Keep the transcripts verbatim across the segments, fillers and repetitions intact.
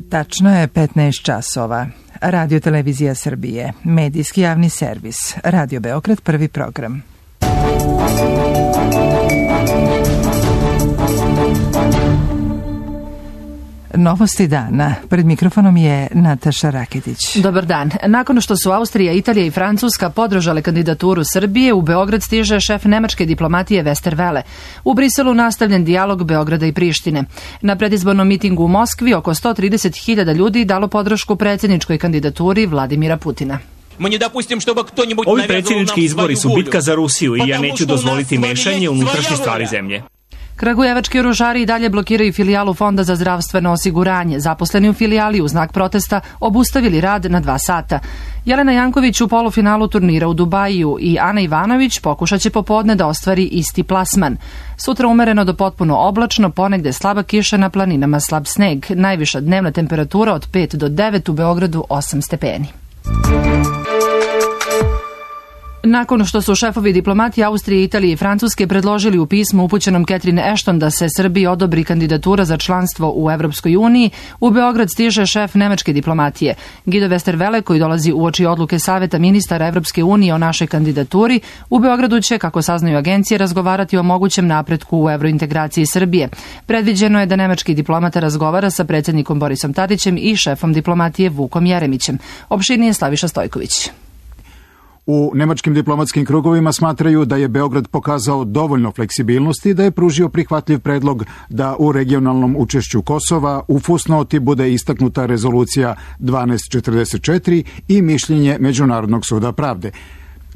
Tačno je petnaest časova. Radio Televizija Srbije, medijski javni servis, Radio Beograd, prvi program. Novosti dana. Pred mikrofonom je Nataša Raketić. Dobar dan. Nakon što su Austrija, Italija i Francuska podržale kandidaturu Srbije, u Beograd stiže šef nemačke diplomatije Westerwelle. U Briselu nastavljen dijalog Beograda i Prištine. Na predizbornom mitingu u Moskvi oko sto trideset hiljada ljudi dalo podršku predsjedničkoj kandidaturi Vladimira Putina. Ovi predsjednički izbori su bitka za Rusiju i ja neću dozvoliti mešanje u unutrašnje stvari zemlje. Kragujevački oružari i dalje blokiraju filijalu Fonda za zdravstveno osiguranje. Zaposleni u filijali u znak protesta obustavili rad na dva sata. Jelena Janković u polufinalu turnira u Dubaju i Ana Ivanović pokušat će popodne da ostvari isti plasman. Sutra umereno do potpuno oblačno, ponegde slaba kiša, na planinama slab sneg. Najviša dnevna temperatura od pet do devet, u Beogradu osam stepeni. Nakon što su šefovi diplomati Austrije, Italije i Francuske predložili u pismu upućenom Catherine Ashton da se Srbiji odobri kandidatura za članstvo u Evropskoj uniji, u Beograd stiže šef nemačke diplomatije. Guido Westerwelle, koji dolazi uoči odluke Saveta ministara Evropske unije o našoj kandidaturi, u Beogradu će, kako saznaju agencije, razgovarati o mogućem napretku u evrointegraciji Srbije. Predviđeno je da nemački diplomata razgovara sa predsjednikom Borisom Tadićem i šefom diplomatije Vukom Jeremićem. Opširnije Slaviša Stojković. U nemačkim diplomatskim krugovima smatraju da je Beograd pokazao dovoljno fleksibilnosti da je pružio prihvatljiv predlog da u regionalnom učešću Kosova u fusnoti bude istaknuta rezolucija dvanaest četrdeset četiri i mišljenje Međunarodnog suda pravde.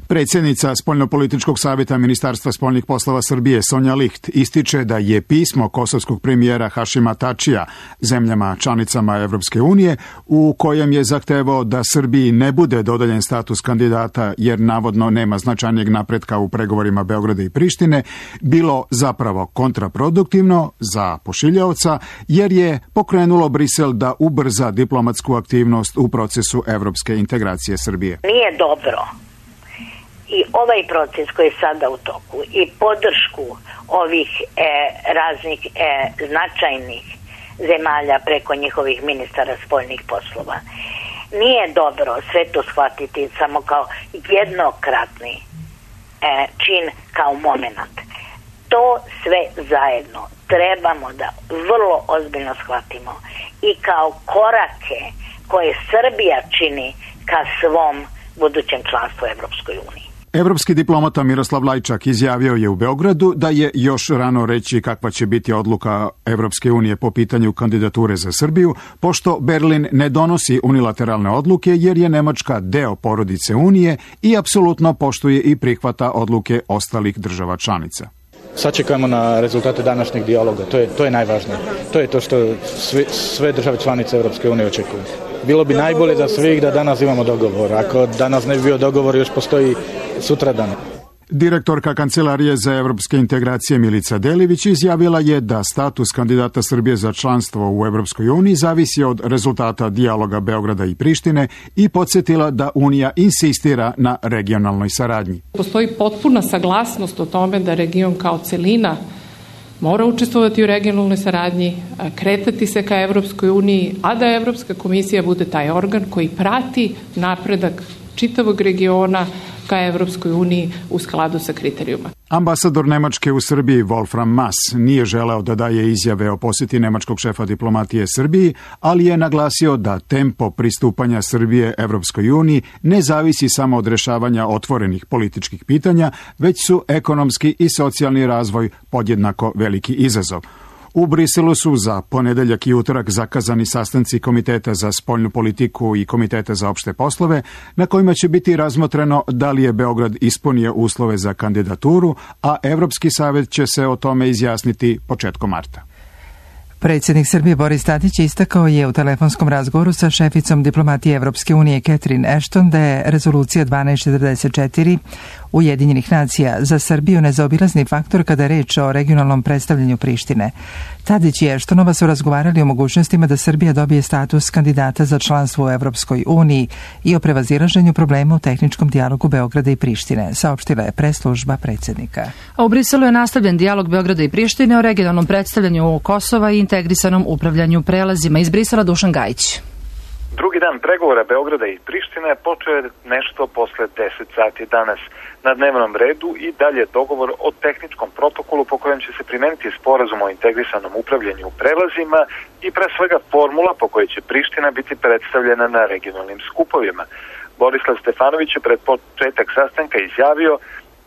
Predsjednica Spoljnopolitičkog savjeta Ministarstva spoljnih poslova Srbije Sonja Licht ističe da je pismo kosovskog premijera Hašima Tačija zemljama članicama Evropske unije, u kojem je zahtevao da Srbiji ne bude dodeljen status kandidata jer navodno nema značajnijeg napretka u pregovorima Beograda i Prištine, bilo zapravo kontraproduktivno za pošiljaoca, jer je pokrenulo Brisel da ubrza diplomatsku aktivnost u procesu evropske integracije Srbije. Nije dobro. I ovaj proces koji je sada u toku i podršku ovih e, raznih e, značajnih zemalja preko njihovih ministara spoljnih poslova, nije dobro sve to shvatiti samo kao jednokratni e, čin, kao moment. To sve zajedno trebamo da vrlo ozbiljno shvatimo i kao korake koje Srbija čini ka svom budućem članstvu u Evropskoj uniji. Evropski diplomata Miroslav Lajčak izjavio je u Beogradu da je još rano reći kakva će biti odluka Evropske unije po pitanju kandidature za Srbiju, pošto Berlin ne donosi unilateralne odluke jer je Nemačka deo porodice Unije i apsolutno poštuje i prihvata odluke ostalih država članica. Sačekajmo na rezultate današnjeg dijaloga, to je, to je najvažnije. To je to što sve, sve države članice Evropske unije očekuju. Bilo bi najbolje za svih da danas imamo dogovor. Ako danas ne bi bio dogovor, još postoji sutradan. Direktorka Kancelarije za evropske integracije Milica Delivić izjavila je da status kandidata Srbije za članstvo u Evropskoj uniji zavisi od rezultata dijaloga Beograda i Prištine i podsjetila da Unija insistira na regionalnoj saradnji. Postoji potpuna saglasnost o tome da region kao celina mora učestvovati u regionalnoj saradnji, kretati se ka Evropskoj uniji, a da Evropska komisija bude taj organ koji prati napredak čitavog regiona ka Evropskoj uniji u skladu sa kriterijuma. Ambasador Nemačke u Srbiji Wolfram Mass nije želeo da daje izjave o posjeti nemačkog šefa diplomatije Srbiji, ali je naglasio da tempo pristupanja Srbije Evropskoj uniji ne zavisi samo od rešavanja otvorenih političkih pitanja, već su ekonomski i socijalni razvoj podjednako veliki izazov. U Briselu su za ponedeljak i utorak zakazani sastanci Komiteta za spoljnu politiku i Komiteta za opšte poslove, na kojima će biti razmotreno da li je Beograd ispunio uslove za kandidaturu, a Evropski savet će se o tome izjasniti početkom marta. Predsjednik Srbije Boris Tadić istakao je u telefonskom razgovoru sa šeficom diplomatije Evropske unije Catherine Ashton da je rezolucija dvanaest četrdeset četiri Ujedinjenih nacija za Srbiju nezaobilazni faktor kada je reč o regionalnom predstavljanju Prištine. Tadić i Ashtonova su razgovarali o mogućnostima da Srbija dobije status kandidata za članstvo u Evropskoj uniji i o prevazilaženju problema u tehničkom dijalogu Beograda i Prištine, saopštila je press-služba predsjednika. A u Briselu je nastavljen dijalog Beograda i Prištine o regionalnom predstavljanju Kosova i integrisanom upravljanju prelazima. Iz Brisela Dušan Gajić. Drugi dan pregovora Beograda i Prištine počeo je nešto posle deset sati danas. Na dnevnom redu i dalje dogovor o tehničkom protokolu po kojem će se primeniti sporazum o integrisanom upravljanju prelazima i pre svega formula po kojoj će Priština biti predstavljena na regionalnim skupovima. Borislav Stefanović je pred početak sastanka izjavio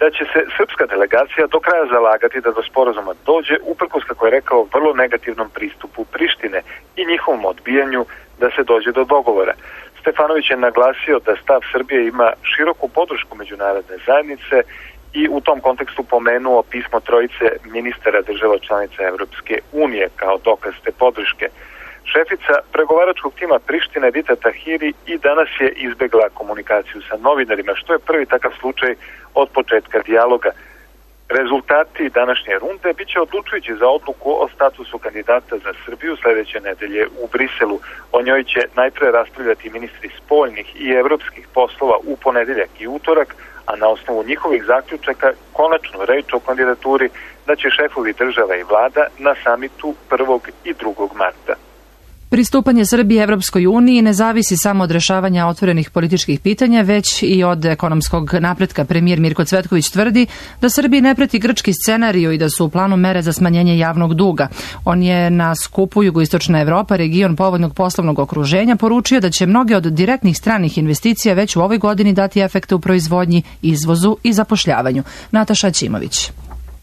da će se srpska delegacija do kraja zalagati da do sporazuma dođe, uprkos, kako je rekao, vrlo negativnom pristupu Prištine i njihovom odbijanju da se dođe do dogovora. Stefanović je naglasio da stav Srbije ima široku podršku međunarodne zajednice i u tom kontekstu pomenuo pismo trojice ministara država članica Evropske unije kao dokaz te podrške. Šefica pregovaračkog tima Prištine Dita Tahiri i danas je izbegla komunikaciju sa novinarima, što je prvi takav slučaj od početka dijaloga. Rezultati današnje runde bit će odlučujući za odluku o statusu kandidata za Srbiju sledeće nedelje u Briselu. O njoj će najpre raspravljati ministri spoljnih i evropskih poslova u ponedeljak i utorak, a na osnovu njihovih zaključaka konačnu reč o kandidaturi da će šefovi država i vlada na samitu prvog i drugog marta. Pristupanje Srbije Evropskoj uniji ne zavisi samo od rešavanja otvorenih političkih pitanja, već i od ekonomskog napretka. Premijer Mirko Cvetković tvrdi da Srbiji ne preti grčki scenarijo i da su u planu mere za smanjenje javnog duga. On je na skupu Jugoistočna Evropa, region povoljnog poslovnog okruženja, poručio da će mnoge od direktnih stranih investicija već u ovoj godini dati efekte u proizvodnji, izvozu i zapošljavanju. Nataša Ćimović.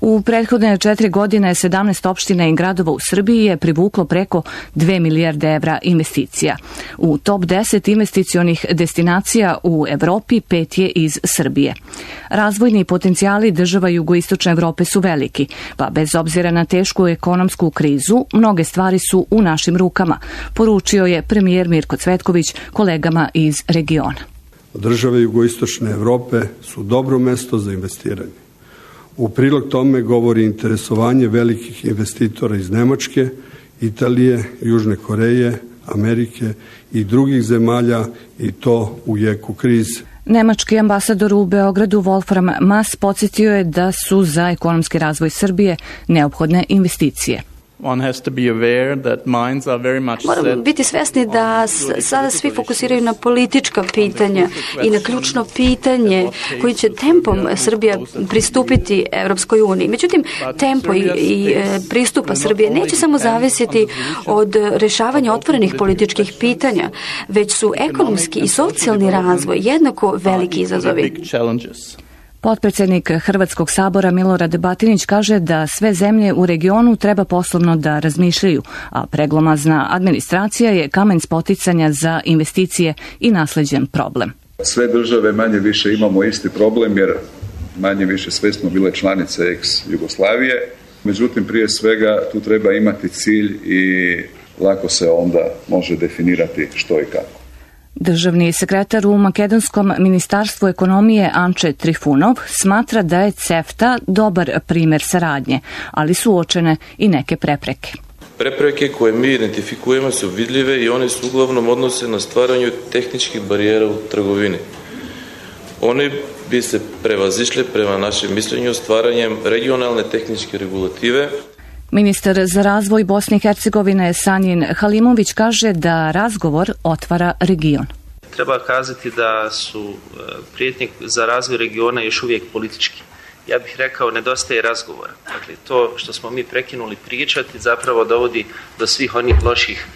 U prethodne četiri godine sedamnaest opština i gradova u Srbiji je privuklo preko dve milijarde evra investicija. U top deset investicionih destinacija u Evropi pet je iz Srbije. Razvojni potencijali država Jugoistočne Evrope su veliki, pa bez obzira na tešku ekonomsku krizu, mnoge stvari su u našim rukama, poručio je premijer Mirko Cvetković kolegama iz regiona. Države Jugoistočne Evrope su dobro mesto za investiranje. U prilog tome govori interesovanje velikih investitora iz Nemačke, Italije, Južne Koreje, Amerike i drugih zemalja i to u jeku krize. Nemački ambasador u Beogradu Wolfram Maass podsjetio je da su za ekonomski razvoj Srbije neophodne investicije. Moramo biti svesni da sada svi fokusiraju na politička pitanja i na ključno pitanje koji će tempom Srbija pristupiti Evropskoj uniji. Međutim, tempo i, i pristupa Srbije neće samo zavisiti od rešavanja otvorenih političkih pitanja, već su ekonomski i socijalni razvoj jednako veliki izazovi. Potpredsednik Hrvatskog sabora Milorad Batinić kaže da sve zemlje u regionu treba poslovno da razmišljaju, a preglomazna administracija je kamen spoticanja za investicije i nasleđen problem. Sve države manje više imamo isti problem jer manje više sve smo bile članice ex-Jugoslavije, međutim prije svega tu treba imati cilj i lako se onda može definirati što i kako. Državni sekretar u Makedonskom ministarstvu ekonomije Anče Trifunov smatra da je CEFTA dobar primer saradnje, ali su uočene i neke prepreke. Prepreke koje mi identifikujemo su vidljive i one se uglavnom odnose na stvaranju tehničkih barijera u trgovini. One bi se prevazišle prema našem mišljenju stvaranjem regionalne tehničke regulative. Ministar za razvoj Bosne i Hercegovine Sanjin Halimović kaže da razgovor otvara region. Treba kazati da su prijetnje za razvoj regiona još uvijek politički. Ja bih rekao, nedostaje razgovora. Dakle, to što smo mi prekinuli pričati zapravo dovodi do svih onih loših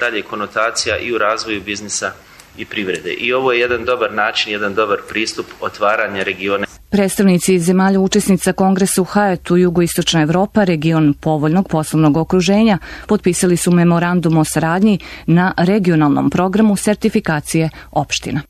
dalje konotacija i u razvoju biznisa i privrede. I ovo je jedan dobar način, jedan dobar pristup otvaranja regiona. Predstavnici zemalja učesnica kongresa u Hajetu Jugoistočna Evropa, region povoljnog poslovnog okruženja, potpisali su memorandum o saradnji na regionalnom programu sertifikacije opština.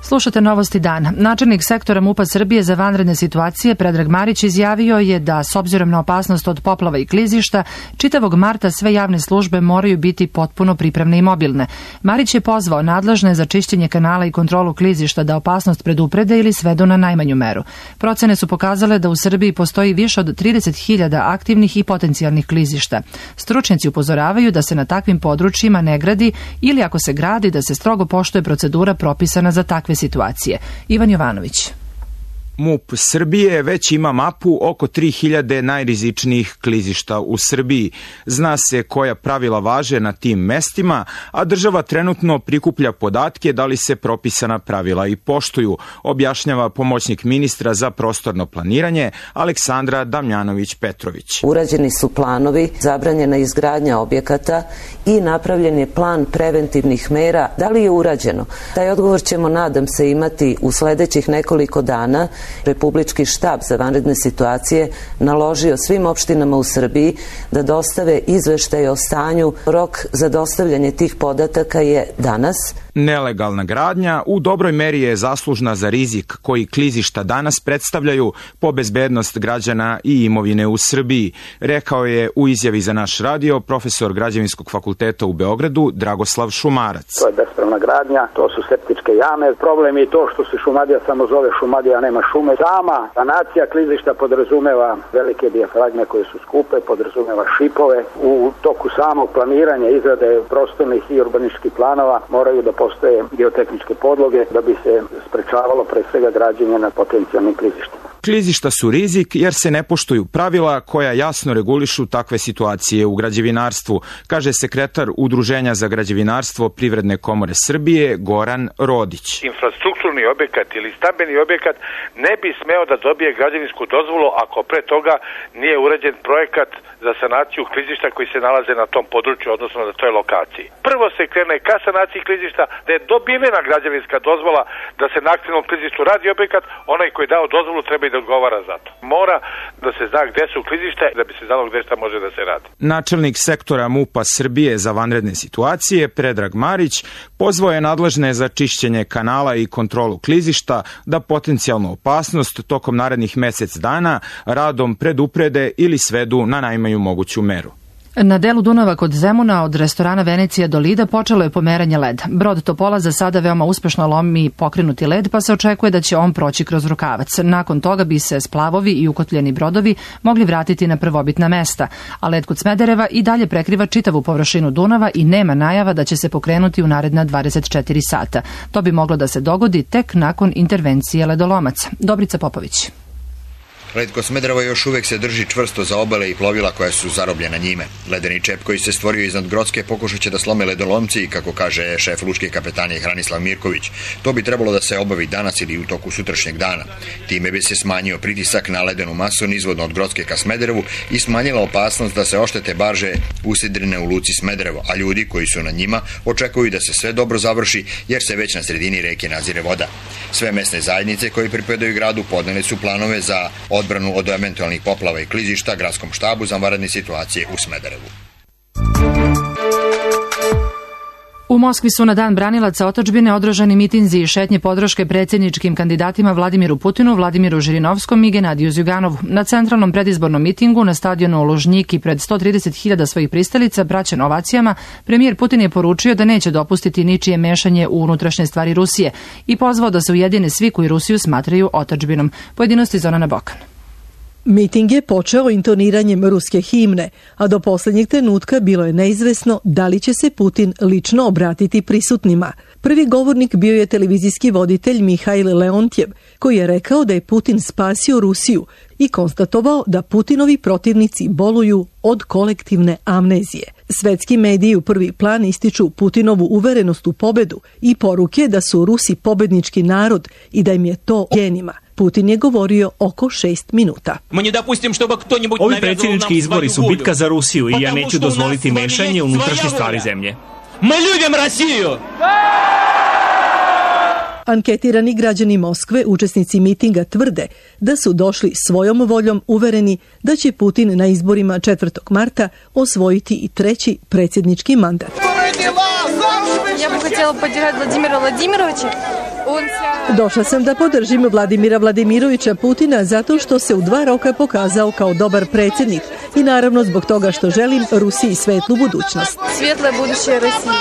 Slušate Novosti dana. Načelnik sektora MUP-a Srbije za vanredne situacije Predrag Marić izjavio je da s obzirom na opasnost od poplava i klizišta, čitavog marta sve javne službe moraju biti potpuno pripravne i mobilne. Marić je pozvao nadležne za čišćenje kanala i kontrolu klizišta da opasnost preduprede ili svedu na najmanju meru. Procene su pokazale da u Srbiji postoji više od trideset hiljada aktivnih i potencijalnih klizišta. Stručnjaci upozoravaju da se na takvim područjima ne gradi ili ako se gradi da se strogo poštuje procedura propisana za takve situacije. Ivan Jovanović. MUP Srbije već ima mapu oko tri hiljade najrizičnijih klizišta u Srbiji. Zna se koja pravila važe na tim mestima, a država trenutno prikuplja podatke da li se propisana pravila i poštuju, objašnjava pomoćnik ministra za prostorno planiranje Aleksandra Damjanović-Petrović. Urađeni su planovi, zabranjena izgradnja objekata i napravljen je plan preventivnih mera. Da li je urađeno? Taj odgovor ćemo, nadam se, imati u sledećih nekoliko dana. Republički štab za vanredne situacije naložio svim opštinama u Srbiji da dostave izveštaj o stanju. Rok za dostavljanje tih podataka je danas. Nelegalna gradnja u dobroj meri je zaslužna za rizik koji klizišta danas predstavljaju po bezbednost građana i imovine u Srbiji, rekao je u izjavi za naš radio profesor Građevinskog fakulteta u Beogradu Dragoslav Šumarac. To je bespravna gradnja, to su septičke jame. Problem je to što se Šumadija samo zove Šumadija, nema šume. Sama sanacija klizišta podrazumeva velike dijafragme koje su skupe, podrazumeva šipove. U toku samog planiranja izrade prostornih i urbanističkih planova moraju da postoje geotehničke podloge da bi se sprečavalo pre svega građenje na potencijalnim klizištima. Klizišta su rizik jer se ne poštuju pravila koja jasno regulišu takve situacije u građevinarstvu, kaže sekretar Udruženja za građevinarstvo Privredne komore Srbije Goran Rodić. Infrastrukturni objekat ili stambeni objekat ne bi smeo da dobije građevinsku dozvolu ako pre toga nije urađen projekat za sanaciju klizišta koji se nalaze na tom području, odnosno na toj lokaciji. Prvo se krene ka sanaciji klizišta, da je dobivena građevinska dozvola da se na aktivnom klizištu radi objekat, onaj koji je dao dozvolu treba i da odgovara za to. Mora da se zna gde su klizišta da bi se znalo gde šta može da se radi. Načelnik sektora MUP-a Srbije za vanredne situacije, Predrag Marić, pozvao je nadležne za čišćenje kanala i kontrolu klizišta da potencijalnu opasnost tokom narednih mesec dana radom preduprede ili svedu na najmanju moguću meru. Na delu Dunava kod Zemuna od restorana Venecija do Lida počelo je pomeranje leda. Brod Topola za sada veoma uspešno lomi pokrenuti led, pa se očekuje da će on proći kroz rukavac. Nakon toga bi se splavovi i ukotljeni brodovi mogli vratiti na prvobitna mesta, a led kod Smedereva i dalje prekriva čitavu površinu Dunava i nema najava da će se pokrenuti u naredna dvadeset četiri sata. To bi moglo da se dogodi tek nakon intervencije ledolomaca. Dobrica Popović. Led kod Smedereva još uvek se drži čvrsto za obale i plovila koja su zarobljena njime. Ledeni čep koji se stvorio iznad Grocke pokušat će da slome ledolomci, kako kaže šef lučke kapetanije Hranislav Mirković. To bi trebalo da se obavi danas ili u toku sutrašnjeg dana. Time bi se smanjio pritisak na ledenu masu nizvodno od Grocke ka Smederevu i smanjila opasnost da se oštete barže usidrene u luci Smederevo, a ljudi koji su na njima očekuju da se sve dobro završi jer se već na sredini reke nazire voda. Sve mesne zajednice koje pripadaju gradu podneli su planove za odbranu od eventualnih poplava i klizišta gradskom štabu za vanredne situacije u Smederevu. U Moskvi su na dan branilaca otadžbine održani mitinzi i šetnje podrške predsjedničkim kandidatima Vladimiru Putinu, Vladimiru Žirinovskom i Genadiju Zjuganovu. Na centralnom predizbornom mitingu na stadionu Lužnjiki pred sto trideset hiljada svojih pristalica, praćen ovacijama, premijer Putin je poručio da neće dopustiti ničije mešanje u unutrašnje stvari Rusije i pozvao da se ujedine svi koji Rusiju smatraju otadžbinom. Pojedinosti Zorana Bokan. Miting je počeo intoniranjem ruske himne, a do posljednjeg trenutka bilo je neizvesno da li će se Putin lično obratiti prisutnima. Prvi govornik bio je televizijski voditelj Mihail Leontjev, koji je rekao da je Putin spasio Rusiju i konstatovao da Putinovi protivnici boluju od kolektivne amnezije. Svetski mediji u prvi plan ističu Putinovu uverenost u pobedu i poruke da su Rusi pobednički narod i da im je to genima. Putin je govorio oko šest minuta. Ovi predsjednički izbori su bitka za Rusiju i ja neću dozvoliti mešanje u unutrašnje stvari zemlje. Mi ljubim Rusiju! Anketirani građani Moskve, učesnici mitinga, tvrde da su došli svojom voljom uvereni da će Putin na izborima četvrtog marta osvojiti i treći predsjednički mandat. Ja bih htjela podržati Vladimira Vladimirovića. Došla sam da podržim Vladimira Vladimirovića Putina zato što se u dva roka pokazao kao dobar predsjednik i naravno zbog toga što želim Rusiji svetlu budućnost. Svijetla buduće Rusije.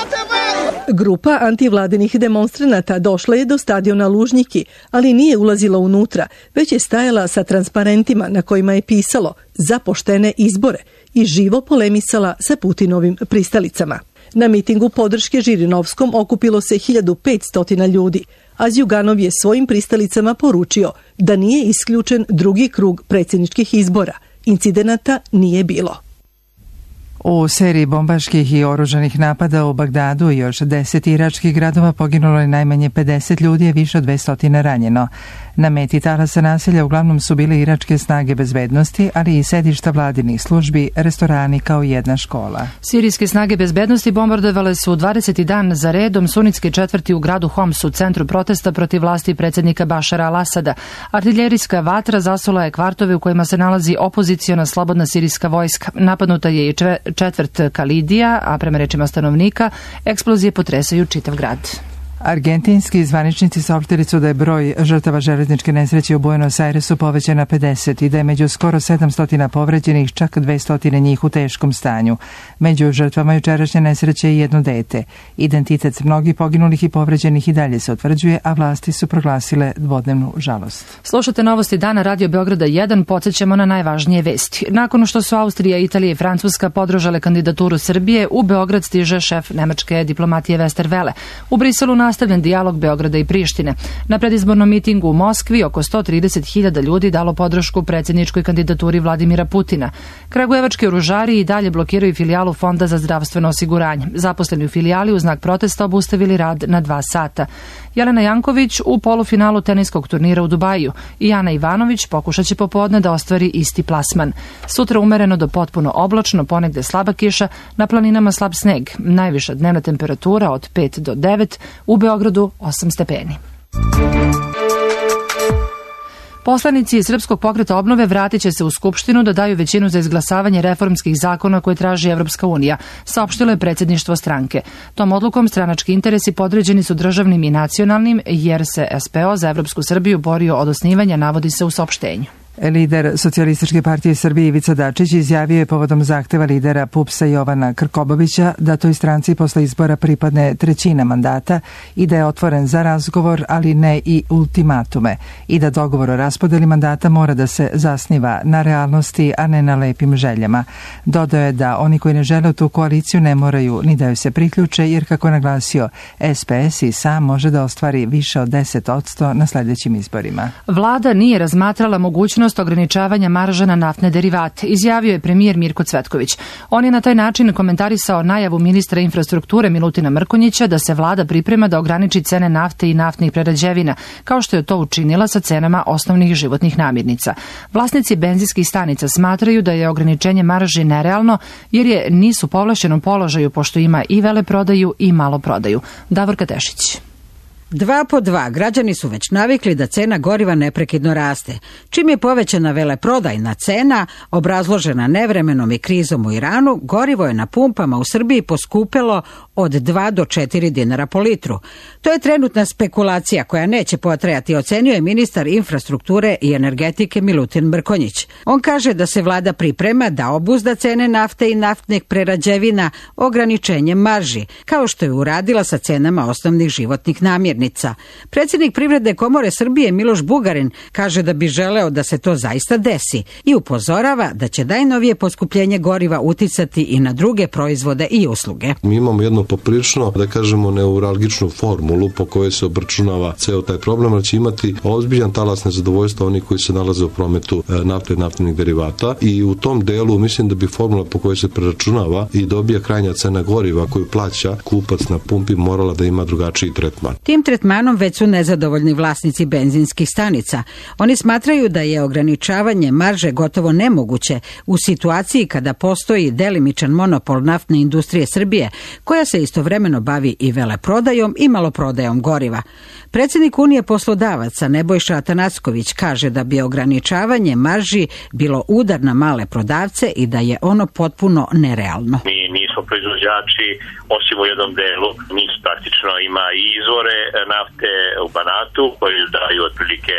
Grupa antivladinih demonstranata došla je do stadiona Lužnjiki, ali nije ulazila unutra, već je stajala sa transparentima na kojima je pisalo za poštene izbore i živo polemisala sa Putinovim pristalicama. Na mitingu podrške Žirinovskom okupilo se hiljadu petsto ljudi, a Zjuganov je svojim pristalicama poručio da nije isključen drugi krug predsjedničkih izbora. Incidenata nije bilo. U seriji bombaških i oružanih napada u Bagdadu i još deset iračkih gradova poginulo je najmanje pedeset ljudi, a više od dvesta ranjeno. Na meti talasa nasilja uglavnom su bile iračke snage bezbednosti, ali i sedišta vladinih službi, restorani kao jedna škola. Sirijske snage bezbednosti bombardovale su dvadeseti dan za redom sunitske četvrti u gradu Homs u centru protesta protiv vlasti predsjednika Bašara al-Asada. Artiljerijska vatra zasula je kvartove u kojima se nalazi opoziciona slobodna sirijska vojska. Napadnuta je i četvrt Kalidija, a prema rečima stanovnika, eksplozije potresaju čitav grad. Argentinski zvaničnici saopštili su da je broj žrtava železničke nesreće u Buenos Airesu povećan na pedeset i da je među skoro sedamsto povređenih čak dvesta njih u teškom stanju. Među žrtvama jučerašnje nesreće je jedno dete. Identitet mnogih poginulih i povređenih i dalje se utvrđuje, a vlasti su proglasile dvodnevnu žalost. Slušate novosti dana Radio Beograda jedan, podsjećamo na najvažnije vesti. Nakon što su Austrija, Italija i Francuska podržale kandidaturu Srbije, u Beograd stiže šef nemačke diplomatije Westerwelle. U Briselu nastavljen dijalog Beograda i Prištine. Na predizbornom mitingu u Moskvi oko sto trideset hiljada ljudi dalo podršku predsjedničkoj kandidaturi Vladimira Putina. Kragujevački oružari i dalje blokiraju filijalu Fonda za zdravstveno osiguranje. Zaposleni u filijali u znak protesta obustavili rad na dva sata. Jelena Janković u polufinalu teniskog turnira u Dubaju i Ana Ivanović pokušat će popodne da ostvari isti plasman. Sutra umereno do potpuno oblačno, ponegde slaba kiša, na planinama slab sneg. Najviša dnevna temperatura od pet do devet, u Beogradu osam stepeni. Poslanici iz Srpskog pokreta obnove vratit će se u Skupštinu da daju većinu za izglasavanje reformskih zakona koje traži Evropska unija, saopštilo je predsjedništvo stranke. Tom odlukom stranački interesi podređeni su državnim i nacionalnim, jer se S P O za Evropsku Srbiju borio od osnivanja, navodi se u saopštenju. Lider Socijalističke partije Srbije Ivica Dačić izjavio je povodom zahteva lidera P U P S-a Jovana Krkobabića da toj stranci posle izbora pripadne trećina mandata i da je otvoren za razgovor, ali ne i ultimatume, i da dogovor o raspodeli mandata mora da se zasniva na realnosti, a ne na lepim željama. Dodao je da oni koji ne žele tu koaliciju ne moraju ni da joj se priključe, jer kako je naglasio, S P S i sam može da ostvari više od deset posto na sljedećim izborima. Vlada nije razmatrala mogućnost ograničavanja marža na naftne derivate, izjavio je premijer Mirko Cvetković. On je na taj način komentarisao najavu ministra infrastrukture Milutina Mrkonjića da se vlada priprema da ograniči cene nafte i naftnih prerađevina, kao što je to učinila sa cenama osnovnih životnih namirnica. Vlasnici benzinskih stanica smatraju da je ograničenje marži nerealno, jer je nisu povlašćenom položaju, pošto ima i veleprodaju i maloprodaju. Davorka Tešić. Dva po dva, građani su već navikli da cena goriva neprekidno raste. Čim je povećana veleprodajna cena, obrazložena nevremenom i krizom u Iranu, gorivo je na pumpama u Srbiji poskupelo od dva do četiri dinara po litru. To je trenutna spekulacija koja neće potrajati, ocenio je ministar infrastrukture i energetike Milutin Mrkonjić. On kaže da se vlada priprema da obuzda cene nafte i naftnih prerađevina ograničenjem marži, kao što je uradila sa cenama osnovnih životnih namirnica. Predsjednik Privredne komore Srbije Miloš Bugarin kaže da bi želeo da se to zaista desi i upozorava da će najnovije poskupljenje goriva uticati i na druge proizvode i usluge. Mi imamo jednu poprilično, da kažemo, neuralgičnu formulu po kojoj se obračunava ceo taj problem, ali će imati ozbiljan talas nezadovoljstva oni koji se nalaze u prometu nafte i naftnih derivata, i u tom delu mislim da bi formula po kojoj se preračunava i dobija krajnja cena goriva koju plaća kupac na pumpi morala da ima drugačiji tretman. Tim tretmanom već su nezadovoljni vlasnici benzinskih stanica. Oni smatraju da je ograničavanje marže gotovo nemoguće u situaciji kada postoji delimičan monopol naftne industrije Srbije, koja se istovremeno bavi i veleprodajom i maloprodajom goriva. Predsjednik Unije poslodavaca Nebojša Atanacković kaže da bi ograničavanje marži bilo udar na male prodavce i da je ono potpuno nerealno. Mi nismo proizvođači, osim u jednom delu. Mi praktično ima i izvore nafte u Banatu koji daju otprilike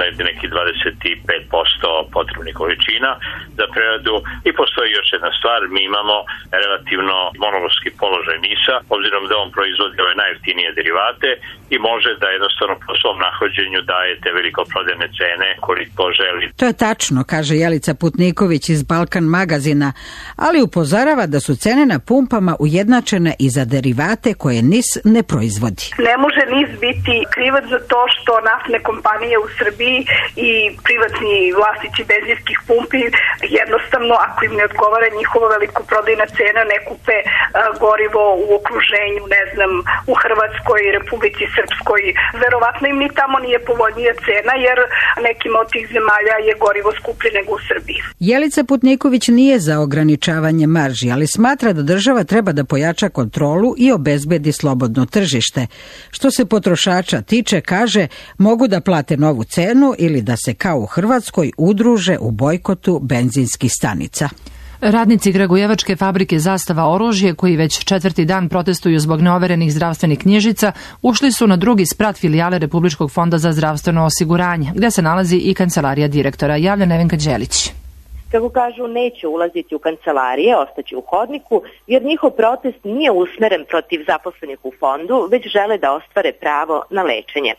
negdje neki dvadeset pet posto potrebnih količina za preradu. I postoji još jedna stvar, mi imamo relativno monopolistički položaj NIS-a, obzirom da on proizvodi ove najjeftinije derivate i može da jednostavno po svom nahođenju daje te velikoprodajne cene koliko želi. To je tačno, kaže Jelica Putniković iz Balkan magazina, ali upozorava da su cene na pumpama ujednačene i za derivate koje NIS ne proizvodi. Ne može NIS biti krivac za to što naftne kompanije u Srbiji i privatni vlasnici benzinskih pumpi jednostavno, ako im ne odgovara njihova velikoprodajna cena, ne kupe a, gorivo u okruženju, ne znam, u Hrvatskoj, Republici Srpskoj. Verovatno im ni tamo nije povoljnija cena, jer nekim od tih zemalja je gorivo skuplje nego u Srbiji. Jelica Putniković nije za ograničavanje marži, ali smatra da država treba da pojača kontrolu i obezbedi slobodno tržište. Što se potrošača tiče, kaže, mogu da plate novu cenu ili da se kao u Hrvatskoj udruže u bojkotu benzinskih stanica. Radnici kragujevačke fabrike Zastava oružje, koji već četvrti dan protestuju zbog neoverenih zdravstvenih knjižica, ušli su na drugi sprat filijale Republičkog fonda za zdravstveno osiguranje, gde se nalazi i kancelarija direktora. Javlja Nevenka Đelić. Kako kažu, neće ulaziti u kancelarije, ostaće u hodniku, jer njihov protest nije usmeren protiv zaposlenih u fondu, već žele da ostvare pravo na lečenje.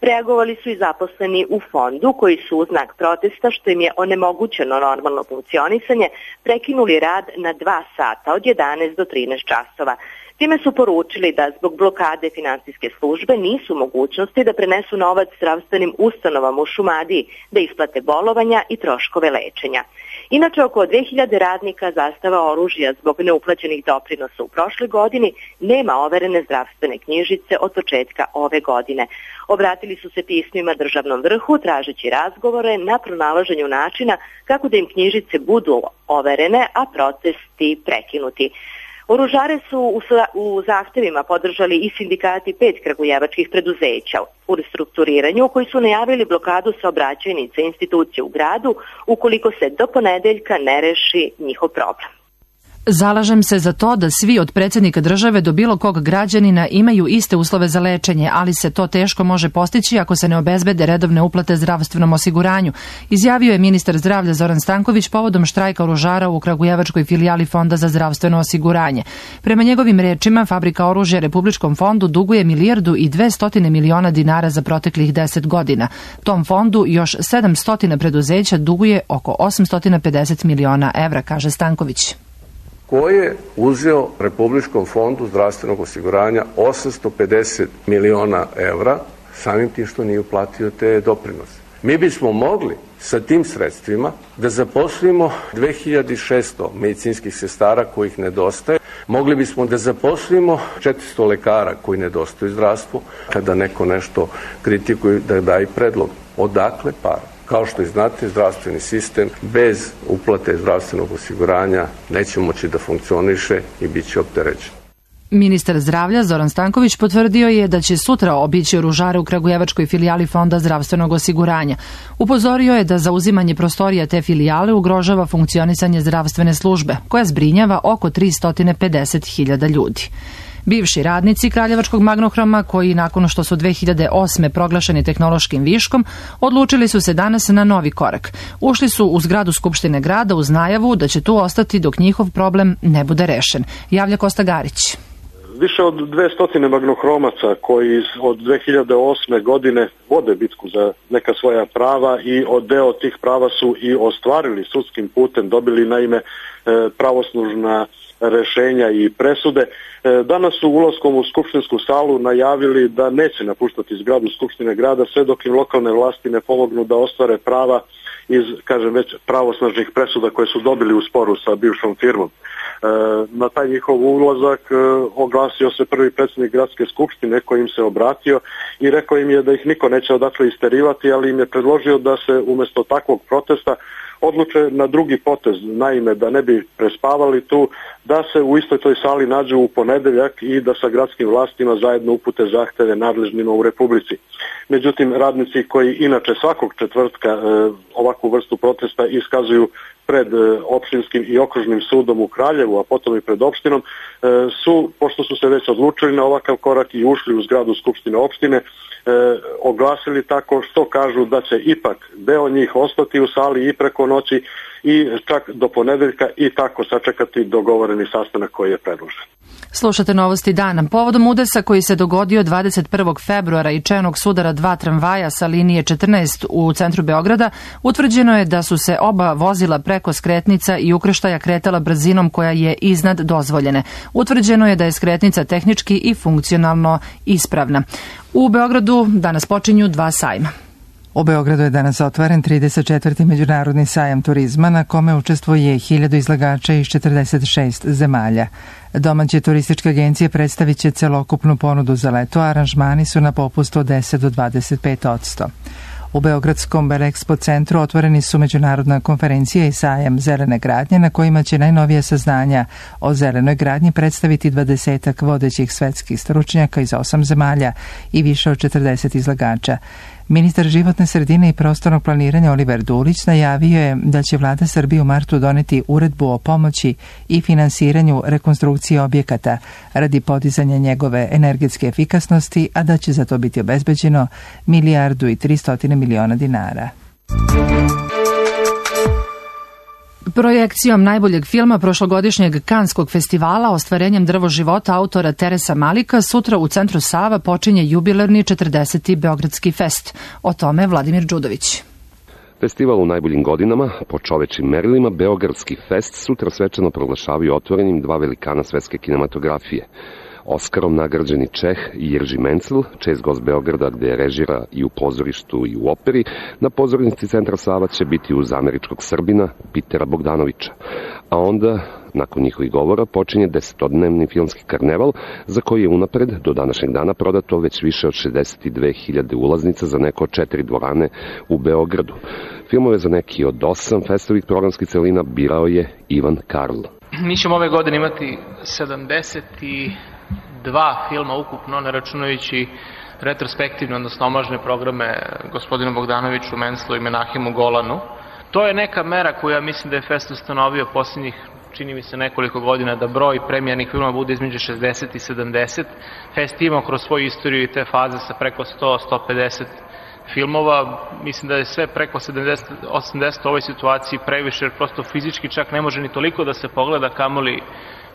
Reagovali su i zaposleni u fondu, koji su u znak protesta, što im je onemogućeno normalno funkcionisanje, prekinuli rad na dva sata od jedanaest do trinaest časova. Time su poručili da zbog blokade finansijske službe nisu mogućnosti da prenesu novac zdravstvenim ustanovama u Šumadiji, da isplate bolovanja i troškove lečenja. Inače, oko dve hiljade radnika Zastava oružja zbog neuplaćenih doprinosa u prošloj godini nema overene zdravstvene knjižice od početka ove godine. Obratili su se pismima državnom vrhu tražeći razgovore na pronalaženju načina kako da im knjižice budu overene, a protesti prekinuti. Oružare su u zahtevima podržali i sindikati pet kragujevačkih preduzeća u restrukturiranju, koji su najavili blokadu saobraćajnica institucije u gradu ukoliko se do ponedeljka ne reši njihov problem. Zalažem se za to da svi od predsjednika države do bilo kog građanina imaju iste uslove za lečenje, ali se to teško može postići ako se ne obezbede redovne uplate zdravstvenom osiguranju, izjavio je ministar zdravlja Zoran Stanković povodom štrajka oružara u kragujevačkoj filijali Fonda za zdravstveno osiguranje. Prema njegovim rečima, fabrika oružja Republičkom fondu duguje milijardu i dvestotine miliona dinara za proteklih deset godina. Tom fondu još sedamsto preduzeća duguje oko osamsto pedeset miliona evra, kaže Stanković. Ko je uzeo Republičkom fondu zdravstvenog osiguranja osamsto pedeset miliona evra samim tim što nije uplatio te doprinose. Mi bismo mogli sa tim sredstvima da zaposlimo dve hiljade šesto medicinskih sestara kojih nedostaje. Mogli bismo da zaposlimo četiristo lekara koji nedostaju zdravstvu. Kada neko nešto kritikuje, da daje predlog. Odakle para? Kao što i znate, zdravstveni sistem bez uplate zdravstvenog osiguranja neće moći da funkcioniše i bit će opterećen. Ministar zdravlja Zoran Stanković potvrdio je da će sutra obići oružare u kragujevačkoj filijali Fonda zdravstvenog osiguranja. Upozorio je da zauzimanje prostorija te filijale ugrožava funkcionisanje zdravstvene službe, koja zbrinjava oko tristo pedeset hiljada ljudi. Bivši radnici Kraljevačkog Magnohroma, koji nakon što su dve hiljade osme proglašeni tehnološkim viškom, odlučili su se danas na novi korak. Ušli su u zgradu Skupštine grada uz najavu da će tu ostati dok njihov problem ne bude rešen. Javlja Kosta Garić. Više od dvesta magnohromaca koji od dve hiljade osme godine vode bitku za neka svoja prava i od deo tih prava su i ostvarili sudskim putem, dobili naime pravoslužna rešenja i presude. Danas su ulaskom u skupštinsku salu najavili da neće napuštati zgradu Skupštine grada sve dok im lokalne vlasti ne pomognu da ostvare prava iz, kažem već, pravosnažnih presuda koje su dobili u sporu sa bivšom firmom. Na taj njihov ulazak oglasio se prvi predsjednik gradske skupštine koji im se obratio i rekao im je da ih niko neće odakle isterivati, ali im je predložio da se umjesto takvog protesta odluče na drugi potez, naime da ne bi prespavali tu, da se u istoj toj sali nađu u ponedeljak i da sa gradskim vlastima zajedno upute zahteve nadležnima u Republici. Međutim, radnici koji inače svakog četvrtka e, ovakvu vrstu protesta iskazuju pred opštinskim i okružnim sudom u Kraljevu, a potom i pred opštinom, su, pošto su se već odlučili na ovakav korak i ušli u zgradu Skupštine opštine, e, oglasili tako što kažu da će ipak deo njih ostati u sali i preko noći i čak do ponedeljka i tako sačekati dogovoreni sastanak koji je predložen. Slušate Novosti dana. Povodom udesa koji se dogodio dvadeset prvog februara i čenog sudara dva tramvaja sa linije četrnaest u centru Beograda, utvrđeno je da su se oba vozila preko skretnica i ukrštaja kretala brzinom koja je iznad dozvoljene. Utvrđeno je da je skretnica tehnički i funkcionalno ispravna. U Beogradu danas počinju dva sajma. U Beogradu je danas otvoren trideset četvrti međunarodni sajam turizma na kome učestvuje hiljadu izlagača iz četrdeset šest zemalja. Domaće turističke agencije predstavit će celokupnu ponudu za leto, a aranžmani su na popustu od deset do dvadeset pet posto. U Beogradskom Belexpo centru otvoreni su međunarodna konferencija i sajam zelene gradnje na kojima će najnovija saznanja o zelenoj gradnji predstaviti dvadesetak vodećih svetskih stručnjaka iz osam zemalja i više od četrdeset izlagača. Ministar životne sredine i prostornog planiranja Oliver Dulić najavio je da će vlada Srbije u martu doneti uredbu o pomoći i finansiranju rekonstrukcije objekata radi podizanja njegove energetske efikasnosti, a da će za to biti obezbeđeno milijardu i tristotine miliona dinara. Projekcijom najboljeg filma prošlogodišnjeg Kanskog festivala Ostvarenjem drvo života autora Teresa Malika sutra u centru Sava počinje jubilarni četrdeseti Beogradski fest. O tome Vladimir Đudović. Festival u najboljim godinama, po čovečim merilima, Beogradski fest sutra svečano proglašavaju otvorenim dva velikana svetske kinematografije. Oskarom nagrađeni Čeh Jirži Mencl, čest gost Beograda gde režira i u pozorištu i u operi, na pozornici centra Sava će biti uz američkog Srbina Pitera Bogdanovića. A onda, nakon njihovih govora, počinje desetodnevni filmski karneval za koji je unapred do današnjeg dana prodato već više od šezdeset dve hiljade ulaznica za neko od četiri dvorane u Beogradu. Filmove za neki od osam festovih programskih celina birao je Ivan Karl. Mi ćemo ove godine imati sedamdeset dva filma ukupno, ne računajući retrospektivne, odnosno omažne programe gospodinu Bogdanoviću, Menclu i Menahimu Golanu. To je neka mera koja mislim da je Fest ustanovio posljednjih, čini mi se, nekoliko godina, da broj premijernih filmova bude između šezdeset i sedamdeset. Fest ima kroz svoju istoriju i te faze sa preko sto do sto pedeset filmova. Mislim da je sve preko sedamdeset do osamdeset u ovoj situaciji previše, jer prosto fizički čak ne može ni toliko da se pogleda, kamoli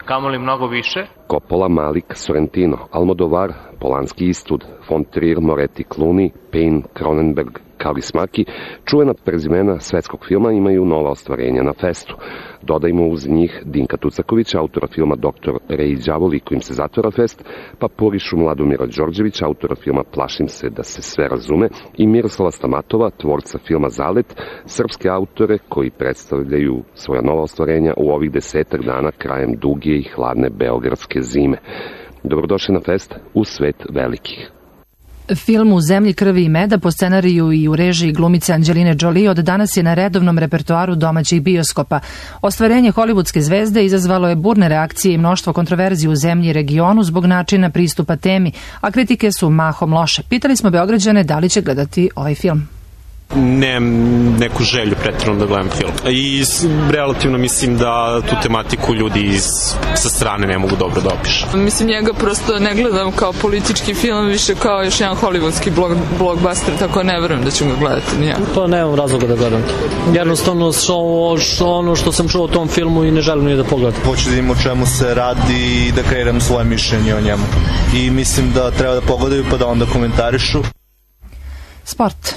kamoli mnogo više. Coppola, Malik, Sorrentino, Almodovar, Polanski, Eastwood, von Trier, Moretti, Clooney, Payne, Cronenberg, Kaurismäki, čuvena prezimena svetskog filma imaju nova ostvarenja na festu. Dodajmo uz njih Dinka Tucakovića, autora filma Doktor Rej i đavoli kojim se zatvara fest, pa Porišu Mladomira Đorđevića, autora filma Plašim se da se sve razume, i Miroslava Stamatova, tvorca filma Zalet, srpske autore koji predstavljaju svoja nova ostvarenja u ovih desetak dana krajem duge i hladne beogradske zime. Dobrodošli na fest u svet velikih. Film U zemlji krvi i meda po scenariju i u režiji glumice Anđeline Jolie od danas je na redovnom repertoaru domaćih bioskopa. Ostvarenje hollywoodske zvezde izazvalo je burne reakcije i mnoštvo kontroverzi u zemlji i regionu zbog načina pristupa temi, a kritike su mahom loše. Pitali smo Beograđane da li će gledati ovaj film. Nemam neku želju pretjerano da gledam film. I relativno mislim da tu tematiku ljudi iz, sa strane ne mogu dobro da opišu. Mislim, njega prosto ne gledam kao politički film, više kao još jedan hollywoodski blog, blockbuster, tako ne verujem da ću ga gledati nija. Pa nemam razloga da gledam. Jednostavno što, što ono što sam čuo o tom filmu i ne želim ni da pogledam. Hoću da im o čemu se radi i da kreiram svoje mišljenje o njemu. I mislim da treba da pogledaju pa da onda komentarišu. Sport.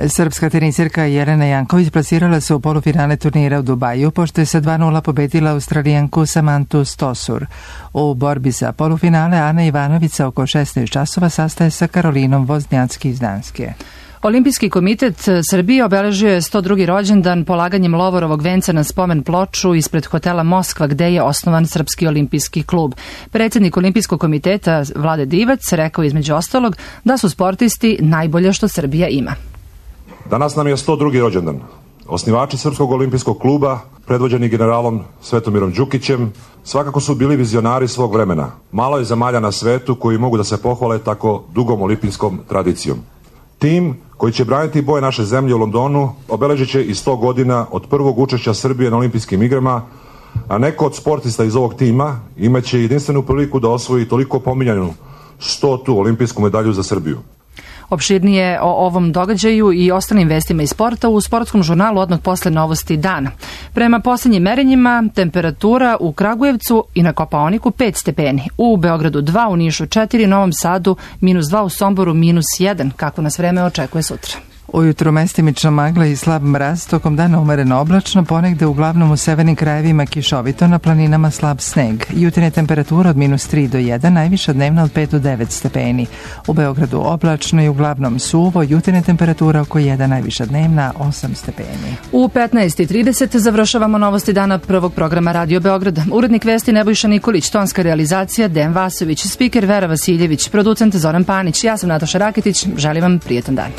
Srpska tenisirka Jelena Janković plasirala se u polufinale turnira u Dubaju, pošto je sa dva nula pobedila Australijanku Samantu Stosur. U borbi za polufinale Ana Ivanovića oko šesnaest časova sastaje sa Karolinom Voznjacki iz Danske. Olimpijski komitet Srbije obeležio je sto drugi rođendan polaganjem Lovorovog venca na spomen ploču ispred hotela Moskva, gde je osnovan Srpski olimpijski klub. Predsjednik Olimpijskog komiteta Vlade Divac rekao između ostalog da su sportisti najbolje što Srbija ima. Danas nam je sto drugi rođendan. Osnivači Srpskog olimpijskog kluba, predvođeni generalom Svetomirom Đukićem, svakako su bili vizionari svog vremena. Malo je zemalja na svetu koji mogu da se pohvale tako dugom olimpijskom tradicijom. Tim koji će braniti boje naše zemlje u Londonu, obeležit će i sto godina od prvog učešća Srbije na olimpijskim igrama, a neko od sportista iz ovog tima imaće jedinstvenu priliku da osvoji toliko pominjanu stotu olimpijsku medalju za Srbiju. Opširnije o ovom događaju i ostalim vestima iz sporta u sportskom žurnalu odmah posle novosti dana. Prema poslednjim merenjima, temperatura u Kragujevcu i na Kopaoniku pet stepeni, u Beogradu dva, u Nišu četiri, Novom Sadu minus dva, u Somboru minus jedan. Kako nas vreme očekuje sutra? Ujutro mestimična magla i slab mraz, tokom dana umereno oblačno, ponegde uglavnom u severnim krajevima kišovito, na planinama slab sneg. Jutarnja temperatura od minus tri do jedan, najviša dnevna od pet do devet stepeni. U Beogradu oblačno i uglavnom suvo, jutarnja temperatura oko jedan, najviša dnevna osam stepeni. U petnaest i trideset završavamo novosti dana prvog programa Radio Beograda. Urednik vesti Nebojša Nikolić, tonska realizacija Dejan Vasović, spiker Vera Vasiljević, producent Zoran Panić. Ja sam Nataša Raketić, želim vam prijetan dan.